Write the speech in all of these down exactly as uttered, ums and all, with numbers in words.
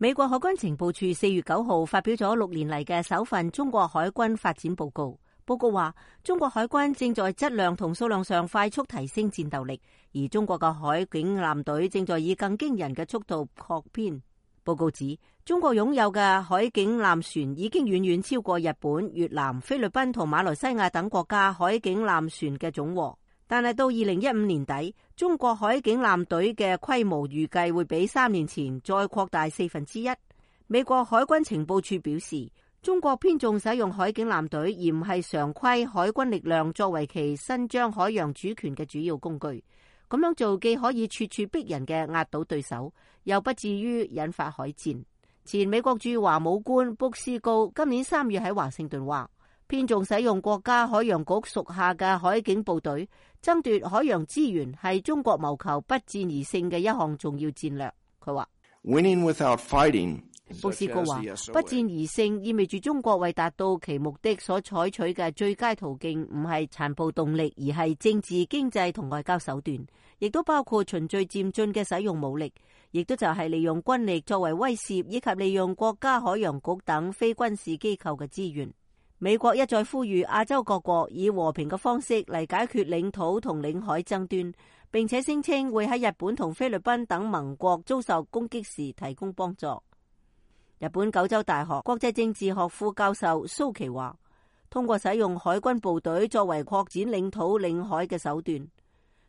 美國海軍情報處四月九號發表咗六年嚟嘅首份中國海軍發展報告。報告話，中國海軍正在質量同數量上快速提升戰鬥力，而中國嘅海警艦隊正在以更驚人嘅速度擴編。報告指，中國擁有嘅海警艦船已經遠遠超過日本、越南、菲律賓同馬來西亞等國家海警艦船嘅總和。但係到二零一五年底，中國海警艦隊嘅規模預計會比三年前再擴大四分之一。美國海軍情報處表示，中國偏重使用海警艦隊，而唔係常規海軍力量作為其伸張海洋主權嘅主要工具。咁樣做既可以處處逼人嘅壓倒對手，又不至於引發海戰。前美國駐華武官卜斯高今年三月喺華盛頓話，偏重使用國家海洋局屬下嘅海警部隊，爭奪海洋資源係中國謀求不戰而勝嘅一項重要戰略。佢話 Winning without fighting。卜斯高話，不戰而勝意味住中國為達到其目的所採取嘅最佳途徑唔係殘暴動力，而係政治、經濟同外交手段，亦都包括循序漸進嘅使用武力，亦都就係利用軍力作為威懾，以及利用國家海洋局等非軍事機構嘅資源。美國一再呼籲亞洲各國以和平嘅方式嚟解決領土同領海爭端，並且聲稱會喺日本同菲律賓等盟國遭受攻擊時提供幫助。日本九州大學國際政治學副教授蘇琪話，通過使用海軍部隊作為擴展領土領海嘅手段，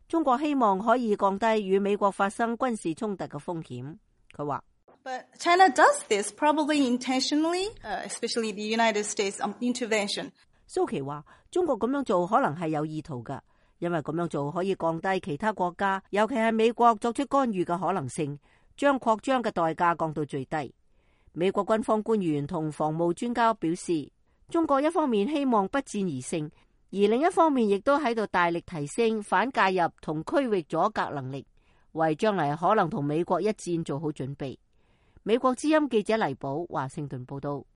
中國希望可以降低與美國發生軍事衝突嘅風險。佢話But China does this probably intentionally, uh, especially the United States intervention. 蘇琪話，中國咁樣做可能係有意圖㗎，因為咁樣做可以降低其他國家，尤其係美國作出干預嘅可能性，將擴張嘅代價降到最低。美國軍方官員同防務專家表示，中國一方面希望不戰而勝，而另一方面亦都喺度大力提升反介入同區域阻隔能力，為將來可能同美國一戰做好準備。美國之音記者黎寶華盛頓報道。